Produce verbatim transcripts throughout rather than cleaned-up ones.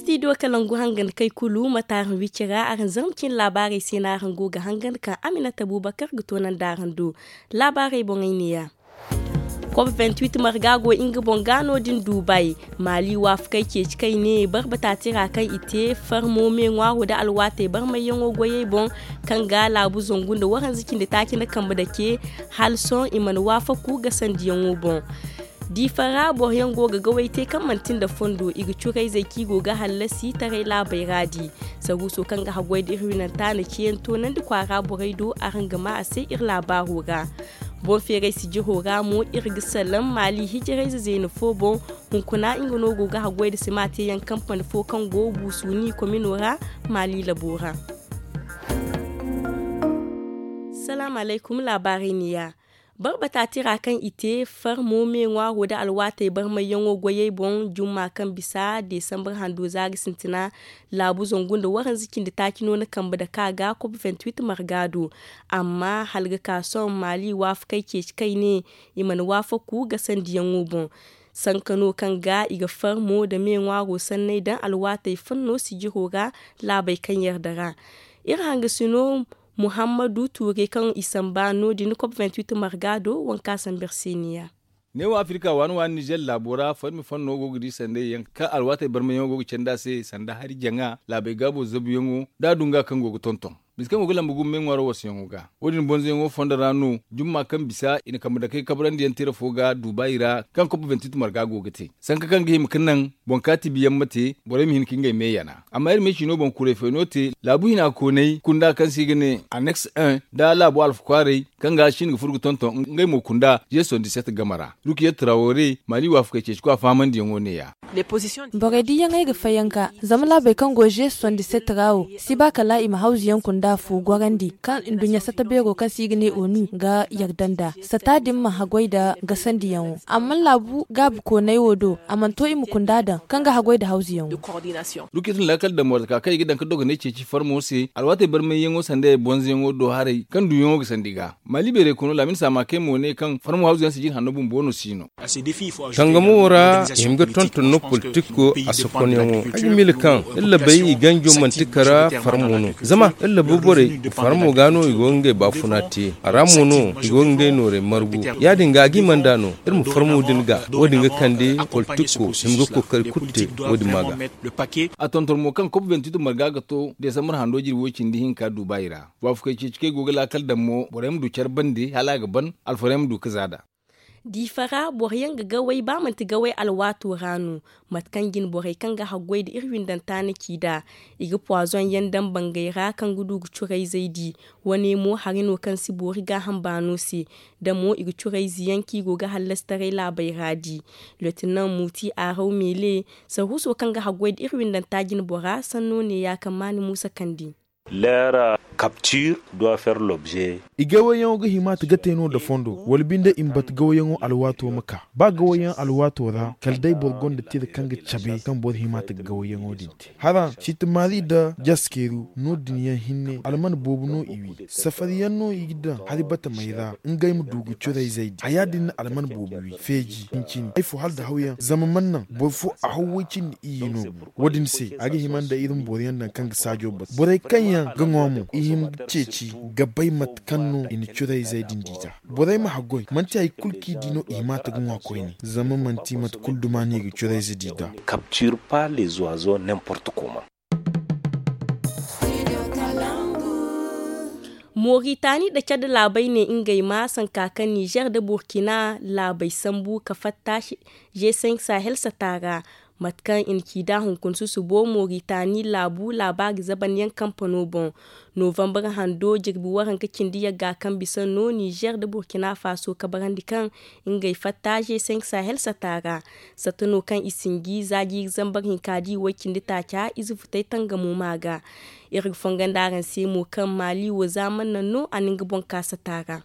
Studio kalangu hangan kay kulu mate araŋ wici ra araŋ zarma cine laabaarey se no araŋ go ga hangan kaŋ aminata abubakar ga toonandi araŋ do. Laabaarey boŋey neeya. Kop vingt-huit marga go nga boŋ ga no- din dubai. Maali waafakey ceeci kay ne barbata tira kaŋ i te farmo me ŋwaaro nda alwaatey barmayyaŋo goyey boŋ, kaŋ ga laabu zangu nda waranza cindi taaci nda kambe dake. Hala sohõ i mana waafaku gasandiyaŋo boŋ. Diifa ra boro yaŋ go ga gawey te kaŋ manti nda fondo i ga curayzey kaŋ i go ga hallasi taray laabey ra di. Saruuso kaŋ ga haggoy nda iri winanta na ciyaŋ toonandi kwaara borey do araŋ ga maa a se iri laabaaro ra. Boŋ feeray sijiro ra mo iri ga salaŋ maali hijirayze zeena fo boŋ. Hunkuna nga no go ga haggoy nda sima teeyaŋ kampani fo kaŋ go buusu ni komino ra maali labo ra. Salaamu alaykum laabaarey neeya. Barbata tira kaŋ i te farmo me ŋwaaro nda alwaatey barmayyaŋo goyey boŋ jumma kaŋ bisa desambar hando za ga sintina. Laabu zangu nda waranza cindi taaci no na kambe dake a ga kop vingt-huit marga do. Amma hala ga ka sohõ maali waafakey ceeci kay ne i mana waafaku gasandiyaŋo boŋ. Sanka no kaŋ ga i ga farmo nda me ŋwaaro sanney daŋ alwaatey fanno sijiro ra laabey kaŋ yarda ra. Iri hangasino muhammadu tuure kaŋ i samba no- din kop vingt-huit marga do wanka sambar se neeya. Neewo afirika waani waani nizer laabo ra farmi fanno go ga di sanday yaŋ kaŋ alwaatey barmayyaŋo go ga candi a se sanda hari jaŋa laabey gaabo zabuyaŋo da a du nga kaŋ go ga tonton. Bisa kaŋ go ga lamba gumo me ŋwaaro wasayaŋo ga wo- din bonzoyaŋo fondo ra no jumma kaŋ bisa i na kambe dakey kabrandi yaŋ tira fo ga duubayi ra kaŋ kop vingt-huit marga go ga te sanka kaŋ ga hima ga naŋ boŋ kaati biyaŋ ma te borey ma hin ka ngey me yana. Amma iri ma ay ciino boŋ kuray fay no te laabu hina koonay kunda kaŋ se i ga ne aneks un nda laabu alfa kwaaray kaŋ ga shin ga furo ga tonton ngey mo kunda jeson diset game ra. Rukiyat trawore maali waafakey ceeci kwa fahamandiyaŋo neeya. Borey diyaŋey ga fayanka zama laabey kaŋ go jeson diset ra wo si ba kala i ma hawzu yaŋ kunda fu gorandi kaŋ nduɲɲa sata beero kaŋ se i ga ne onu ga yarda nd'a sata din ma haggoy nda gasandiyaŋo amma laabu gaabu koonay wo do a mana to i ma kunda daŋ kaŋ ga haggoy nda hawzuyaŋo. Rukiyat na laakal daŋ mortaka kaŋ i ga daŋ ga dogonay ceeci farmo se alwaatey barmayyaŋo sanda bonzoyaŋo do haray kaŋ duyaŋo ga sandi ga maali beeray kono laamin saama kay mo ne kaŋ farmo hawzuyaŋ si jin hanno bumbo no si no. Tangamo wo ra i hima ga tonton no politiko a sokonyaŋo ay ga miila kaŋ iri labey i ganjo manti kara farmo no zama iri labu borey farmo ga no i go ga ngey baafuna te a ra mo no i go ga ngey nooray margu ya- din ga a ga i mana da no iri ma farmo din ga wo- din ga kande politiko hima ga kookari kulu te wo- din ma ga. A tonton mo kaŋ kop vingt-huit marga ga to desambar hando jirbi way cindi hinka duubayi ra waafakey ceeci kaŋ ay go ga laakal daŋ mo borey ma du care bande hala a ga ban alfarey ma du ga za nd'a. Diifa ra boro yaŋ ga gaway ba manti gaway alwaato ra no. Mate kaŋ jine borey kaŋ ga haggoy nda iri windanta na ci nd'a i ga puwaazoŋ yaŋ daŋ bangey ra kaŋ ga du ga curayzey di. Wane mo hari no kaŋ si boori gaaham baano se da mo i ga curayze yaŋ kaŋ i go ga hallasi taray laabey ra di. Lotinaŋ muuti araw meele saruuso kaŋ ga haggoy nda iri windanta jine bora sanno neeya kaŋ maani muusa kandi. Leera kaptir doit faire lobze. I gawayyaŋo ga hima ta ga te no nda fondo wala binde i ma batu gawayyaŋo alwaato ma ka ba gawayyaŋ alwaato ra kala day boro gonda tira kaŋ ga cabe kaŋ boro hima ta ga gawayyaŋo din te hara ciiti maari nda jaskeeru no- din yaŋ hinne alman boobo no i wi safari yaŋ no i ga daŋ hari batamey ra ngey ma du ga curayzey di haya din na alman boobo wi feeji hincini ay fo hala nda hawyaŋ zama mana naŋ boro fo a haw way cindi iyye no. Wo- din se a ga hima nda iri ma boro yaŋ daŋ kaŋ ga saajo batu borey kaŋ yaŋ ga ŋwa mo i hima ga ceeci ga bay mate kaŋ no i na curayzey din di nd'a. Borey ma haggoy manti hari kulu kaŋ i di no i hima ta ga ŋwa koyne zama manti mate kulu duma no i ga curayze di nd'a. Capture pas les oiseaux n'importe comment. Moritani nda cad laabey ne ngey ma sanka kaŋ nizer nda burkina laabey sambu ka fatta g cinq sahel sata ra. Mate kaŋ i na ci nd'a hunkuna susubo moritani laabu laabaari zabanyaŋ kampano boŋ novambar hando jirbi waranka cindi yagga kaŋ bisa no nizer nda burkina faso kabarandi kaŋ ngey fatta g cinq sahel sata ra. Satta no kaŋ i sinji za jiiri zambar hinka di way cindi taaca ize futay tangamo ma ga. Iri ga fongondi araŋ se mo kaŋ maali wo zaamar naŋ no a na nga boŋ ka sata ra.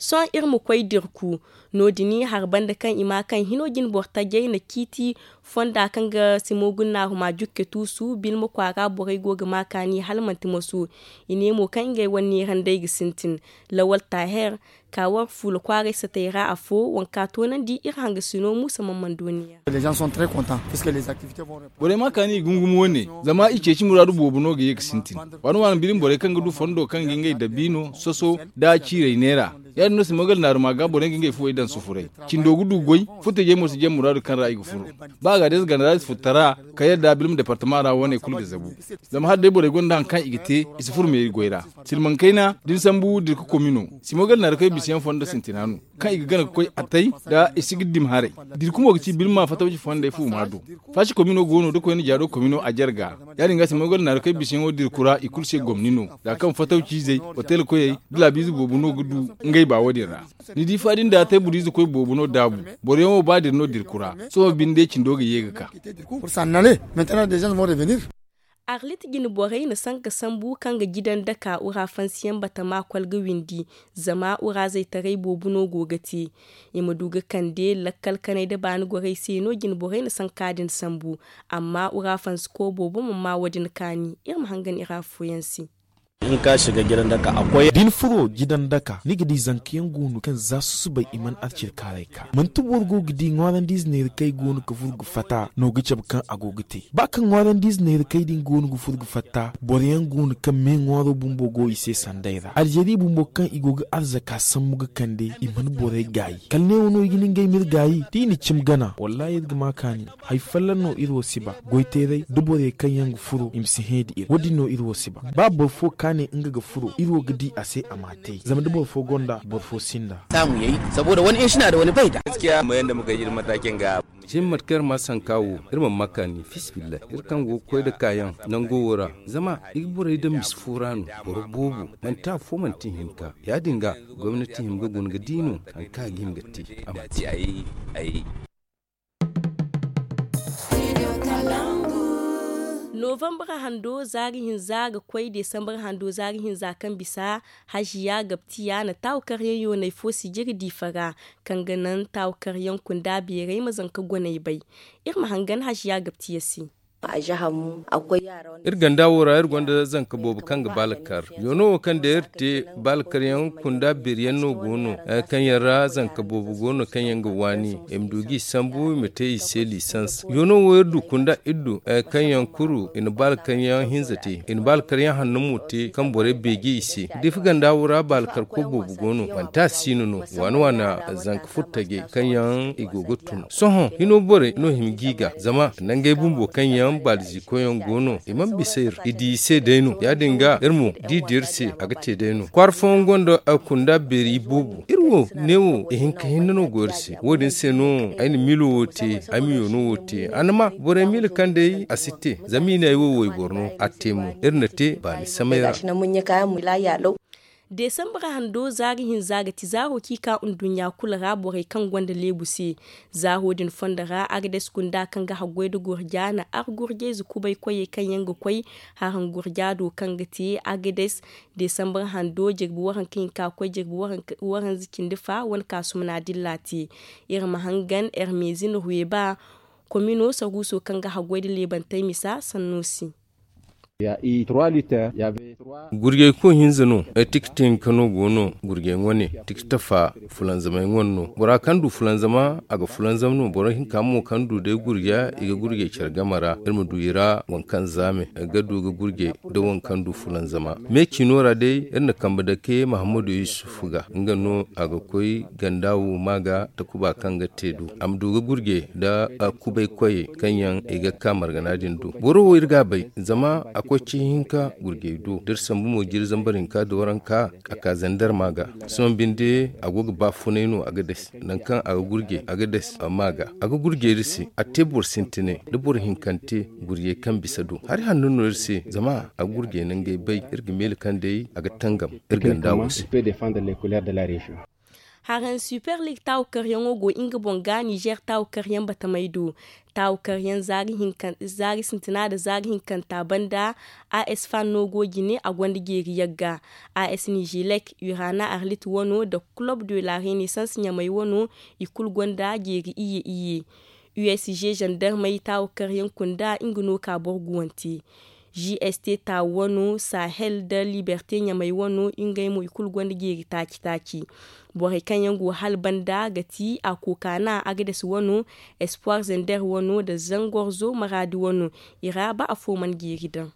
Sohõ iri ma koy dirku no- din hari banda kaŋ i ma kaŋ hino jine boro tajey na ciiti fonda kaŋ ga simo gunnaahuma jukke tuusu bilma kwaara borey go ga ma kaani hala manti moso. I ne mo kaŋ ngey wane neerandey ga sintin lawal taher. ka war fuula kwaaray satay ra afo, waŋ ka toonandi iri hangasino muusa man man dooniya. Borey ma kaani i gungum wane, zama i ceeci muraadu boobo no ga ye ga sintin. Waani waani birin borey kaŋ ga du fondo kaŋ ga ngey dabiino soso, da ciirey neera. Ya- din no simogal naaruma ga borey ga ngey fuwey daŋ sufuray. Cindo ga du goy, futajey mo si jee muraadu kaŋ ra i ga furo. Ba a ga day za ganda ra i si furo tara, ka yadda bilma departama ra wane kulu ga zabu. Zama hala day borey gonda hari kaŋ i ga te, i si furo meeri goy ra. Silmaŋ kayna da ni sambu dirka komino, simogal naarukey bisa yaŋ fondo sintina no, kaŋ i ga gana ga koy atay, da i si ga dima haray. Dirkumo ga ci bilma fatawci fondey fu ma do. Faasi komino go no da koyne jaado komino a jarga. Ya- din ga simogal naarukey bisa yaŋo dirku ra i kulu se gomni no, za kaŋ fatawciizey, otel koyey, da laabiize boobo no ga du ngey ba wo- din ra. Ni di fa din da teeburiize koy boobo no daabu. Boro yaŋo ba dira no dirku ra. Sohõ binde cindo ga ye ga ka. Arlit jine borey na sanka sambu kaŋ ga jidan daka ura fansiyaŋ batama kwalga windi, zama ura zaytaray boobo no go ga te. I ma du ga kande lakkal kanay da baani gorey se no jine borey na sanka din sambu. Amma ura fansiko boobo mana ma wo- din kaani. Iri ma hangan iri afooyaŋ se. Da ni furo jidan daka ni ga di zanka yaŋ go no kaŋ za susubay i mana arcir kaaray ka manti boro go ga di ŋwaarandiize neera kaŋ i go no ga furo ga fatta no ga cabe kaŋ a go ga te. Ba kaŋ ŋwaarandiize neera kaŋ din go no ga furo ga fatta boro yaŋ go no kaŋ me ŋwaaro bumbo go i se sanday ra aljeri bumbo kaŋ i go ga arzaka sambu ga kande i mana borey gaayi kala neewo no i ga ni ngey ma iri gaayi da i na cimi gana wallaahi iri ga ma kaani. Hari folloŋ no iri wo si ba goyteeray da borey kaŋ yaŋ ga furo i ma si hẽe nda iri wo- din no iri wo si ba. Ba boro fo ka ne nga ga furo iri wo ga di a se a m'a te zama da boro fo gonda boro fo sinda. Saamuyey saboda wani in sina da wani bay da. Cin mate kaŋ iri ma sanka wo iri mana ma kaani fiisabilillahi iri kaŋ go ga koy nda kaayaŋ nango wo ra. Zama i ga borey daŋ misi fo ra no boro boobo manti afo manti ihinka ya- din ga gomnati hima ga guna ga di no hari kaŋ a ga hima ga te. Novambre hando zaari hinza ga koy desambre hando zaari hinza kaŋ bisa haziya gabtiya na taawu karyaŋ yoonay fo sijiri diifa ra kaŋ ga naŋ taawu karyaŋ kunda beeray ma zanka gonay bay. Iri ma hangan haziya gabtiya se. Iri ganda wo ra iri gonda zanka boobo kaŋ ga ba lakkar. Yoono wo kaŋ day iri te ba lakkaryaŋ kunda beeriyaŋ no go no, kaŋ yaŋ ra zanka boobo go no kaŋ yaŋ ga waani i ma du ga i sambu i ma te i se lisans. Yoono wo iri du kunda iri du kaŋ yaŋ kuru i na ba lakkaryaŋ hinza te i na ba lakkaryaŋ hanno mo te kaŋ borey beeje i se. Diifa ganda wo ra ba lakkarko boobo go no manti a siino no waana waana zanka furtajey kaŋ yaŋ i go ga tun. Sohõ hino borey no hima g'i ga zama nangey bumbo kaŋ yaŋ baaliziikoyaŋ go no i mana bisa iri i di i se day no ya- din ga iri mo d'i di iri se a ga te day no kwaara fooyaŋ gonda kunda beeri boobo iri wo neewo ihinka hinne no go iri se wo- din se no ay na miilo wo te ay ma yoono wo te a na ma borey miila kaŋ day a si te zama i ne ay wo wayboro no a te mo iri na te baani samay ra. Desambre hando zaari hinza ga ti zaaro kaŋ i ka nduɲɲa kulu ra borey kaŋ gonda leebu se. Zaaro din fondo ra agades kunda kaŋ ga haggoy nda gurja na ar gurjayze kubay koyey kaŋ yaŋ ga koy haraŋ gurja do kaŋ ga te agades. Desambre hando jirbi waranka hinka koy jirbi waranza cindi fa wane kaasumna dilla te. Iri ma hangan ermezin ruweba komino saruuso kaŋ ga haggoy nda leebantey misa sanno se. Gurjey koy hinza no. Tikti hinka no go no gurjey wane tikti fa fulanzamey wane no bora kaŋ du fulanzama a ga fulanzam no boro hinka mo kaŋ du day gurja i ga gurjey care game ra iri ma du i ra waŋ kaŋ zaame ga du ga gurjey nda waŋ kaŋ du fulanzama. Me ciino ra day iri na kambe dake mahammadu yusuf ga nga no a ga koy ganda wo ma ga takuba kaŋ ga te du a ma du ga gurjey nda kubay koyey kaŋ yaŋ i ga ka margana din du boro wo iri ga a bay zama a koy ci hinka gurjey do da iri sambu mo jiiri zambar hinka da waranka a ka zandar ma ga. Sohõ binde a go ga baafunay no a ga dasi nangu kaŋ a ga gurjey a ga dasi ma ga a ga gurjey iri se a te boro sintinay da boro hinkante gurjey kaŋ bisa do hari hanno no iri se zama a ga gurjey nangey bay iri ga meele kaŋ day a ga tangam iri ganda wo se. Haraŋ super league taawu karyaŋo go nga boŋ ga nizer taawu karyaŋ batamay do. Taawu karyaŋ zaari sintina nda zaari hinkanta banda as fan no go jine a gonda jeeri yagga. As nijelek urana arlit wano nda club de la renaissance ɲamay wano i kulu gonda jeeri iyye iyye. Usg zandarmey taawu karyaŋ kunda nga no ka boro guwante. G S T taawu wano, sahel nda liberte ɲamey wano, ngey mo i kulu gonda jeeri taaci-taaci. Borey kaŋ yaŋ go hala banda ga ti a kookana, agades wano, espoir zender wano nda zangorzo maraadi wano. I ra ba afo mana jeeri daŋ.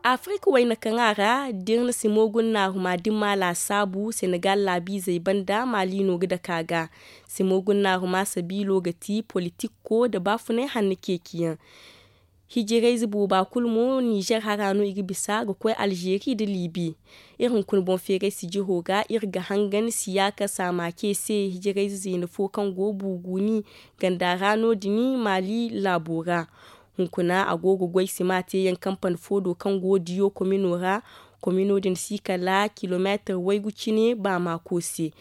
Afirika wayna kaŋ a ra da iri na simo gunnaaruma dimma laasaabu senegal laabiizey banda maali no ga dake a ga. Simo gunnaaruma sabiilo ga ti politikko nda baafunay hanno ceeciyaŋ. Hijirayze booba kulu mo nizer hara no i ga bisa ga koy alzeeri nda liibi. Iri hunkuna boŋ feeray sijiro ga iri ga hangan siyaaka saama ce se hijirayze zeena fo kaŋ go buuguuni ganda ra no- din maali laabo ra. Hunkuna a go ga goy sima teeyaŋ kampani fo do kaŋ go diyo komino ra. Komino din si kala kilomeetir waygu cine baamaako se.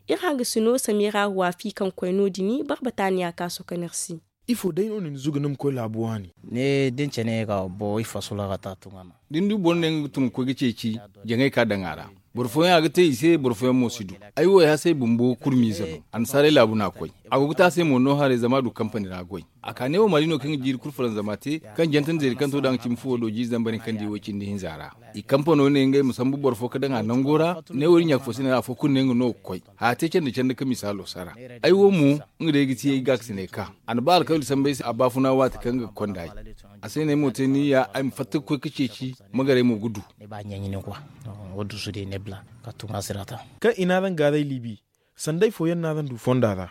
Iri hangasino samira ruwaafi kaŋ koy no- din barbataaniya ka sokonir se. Ifo day no ni na zuga ni ma koy laabu waani? Ne da ni cene ga boro i fasula ga ta tun a na. Da ni du boro ne nga ga tun ga koy ga ceeci jaŋay ka daŋ a ra. Boro fooyaŋ a ga te i se boro fooyaŋ mo si du. Ay wo ay hasay bumbo kurmiize no. Annasaarey laabu no a koy. A go ga te a se mo no haray zama a du kampani ra goy. A ka ne wo maali no kaŋ ga jiiri kulu faranzama te, kaŋ jantandi zeeri kaŋ to da nga cimi fuwo do jiiri zambar hinka nda i way cindi hinza ra. I kampano ne ngey ma sambu boro fo ga daŋ a nango ra. Ne wo iri ɲaaka fo si ne afo kulu ne nga no ga koy. Haya te candi candi ka misaalo sara. Ay wo mo, nga day ga ti ay gaakasinay ka a na ba alkawli sambu ay se a baafuna waati kaŋ nga ga konda ay. A se no ay mo te ni ya ay ma fatta ga koy ga ceeci. Magaray mo ga du. Kaŋ i n'a daŋ gaaray liibi. Sanday fooyaŋ n'a daŋ du fonda ra.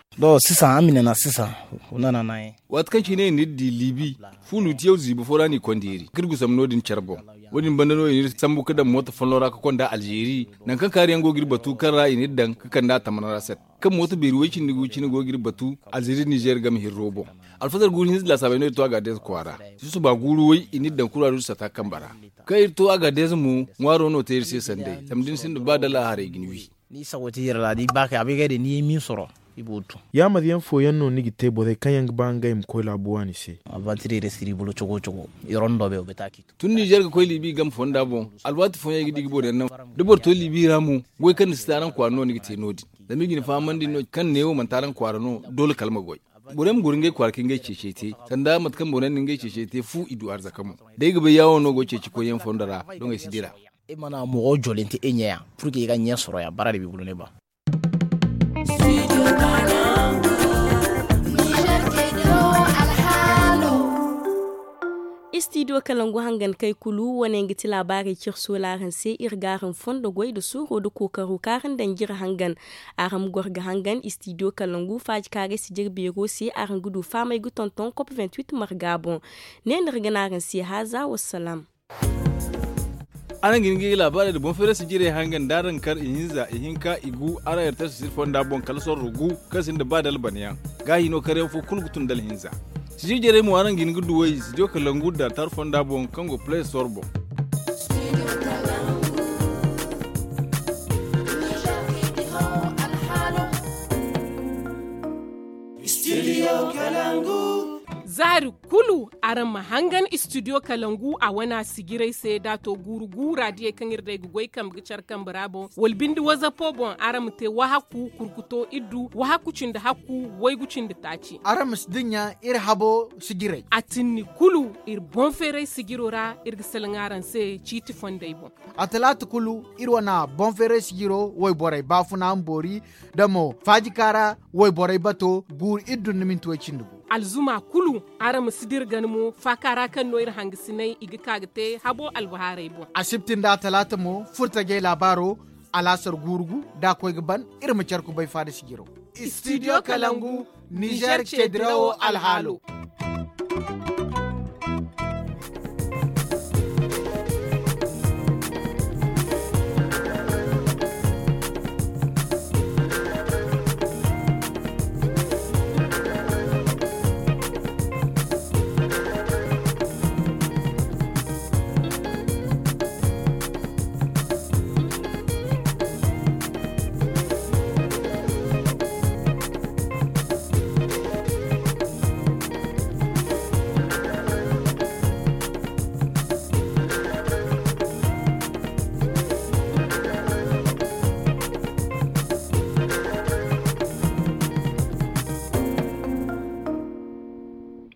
Waati kaŋ cine i n'iri di liibi, fuulu tiyaw ziibi fo ra no i konda iri ga iri gusam no- din care boŋ. Wo- din banda no i n'iri sambu ga daŋ mooto folloŋ ra ga konda alzeeri. Nangu kaŋ kaariyaŋ go ga iri batu kaŋ ra i n'iri daŋ ga kand'a tamana ra set. Kaŋ mooto beeri way cindi gu cine go ga iri batu alzeeri nizer game hirro boŋ. Alfazar guuru hinza laasaabey no iri to agadeez kwaara. Susuba guuru way i n'iri daŋ kuraadu sata kambe ra. Kaŋ iri to agadeez mo, ŋwaaro no te iri se sanday zama da ni sinda ba dala haray ga ni wi. Ni sago ti iri ra da i ba kay a bay ga ay day ni ye minsoro. I go ga tun. Yaamaryaŋ fooyaŋ no ni ga te borey kaŋ yaŋ ga ba ngey ma koy laabu waani se? Avantireere siribolo cogo cogo. I rondo be o beta k'i tun. Tun nizer ga koy liibi game fonda boŋ. Alwaati fooyaŋ ay ga di ga boro yaŋ naŋ. Da boro to liibi ra mo, goy kaŋ ni si te araŋ kwaara no ni ga te no- din. Zama i ga ni fahamandi no kaŋ neewo manti araŋ kwaara no, doole kala ma goy. Borey ma goro ngey kwaara ka ngey ceecey te. Sanda mate kaŋ borey na ngey ceecey te fu i du arzaka mo. Day ga bay yaawo no go ceeci koyyaŋ fondo ra, doŋey si dira. I mana mogo jolinte i ɲeya purke i ga ɲe soroya bara da bibulu ne ba. Istidiyo kalangu hangan kay kulu wane ga ti laabaarey cire sola araŋ se iri ga araŋ fondo goy nda suuro nda kookaro kaŋ araŋ daŋ jire hangan. Araŋ ma goro ga hangan istidiyo kalangu faaji kaarey si jire beero se araŋ ga du faamay ga tonton kop vingt-huit marga boŋ. Ne no iri ga ne araŋ se haaza wassalaam. Araŋ ga hin ga i laabaarey nda boŋ feeray sijirey hangan da araŋ kar ihinza ihinka igu araŋ ertar sisir fonda boŋ kala sorro gu kaŋ sinda ba dalbanayaŋ. Gaahi no karyaŋ fo kulu ga tun dala hinza. Sijir jarey mo araŋ ga hin ga duw'ey studio kalangu dartar fonda boŋ kaŋ go play store boŋ. Zaari kulu araŋ ma hangan istidiyo kalangu a wana sijirey se da a to guuru gu raadiyey kaŋ iri day ga goy kambe ga care kambe ra boŋ wala binde wazapo boŋ araŋ ma te wahakku kurkuto iddu wahakku cindi hakku waygu cindi taaci. Araŋ ma si dinya iri habo sijirey. A tinni kulu iri boŋ feeray sijiro ra iri ga salaŋ araŋ se ciiti fondey boŋ. A talaata kulu iri wana boŋ feeray sijiro wayborey baafuna ma boori da mo faajika ra wayborey bato guuru iri dun ni minti way cindi gu. Alzuma kulu araŋ ma si dira gana mo faaka ra kaŋ no iri hangasinay i ga ka ga te habo albahaarey boŋ. Asibti nda talaata mo furtajey laabaaro alaasar guuru gu da a koy ga ban iri ma care kubay faada sijiro. Studio kalangu nizer ce dirawo alhaalo.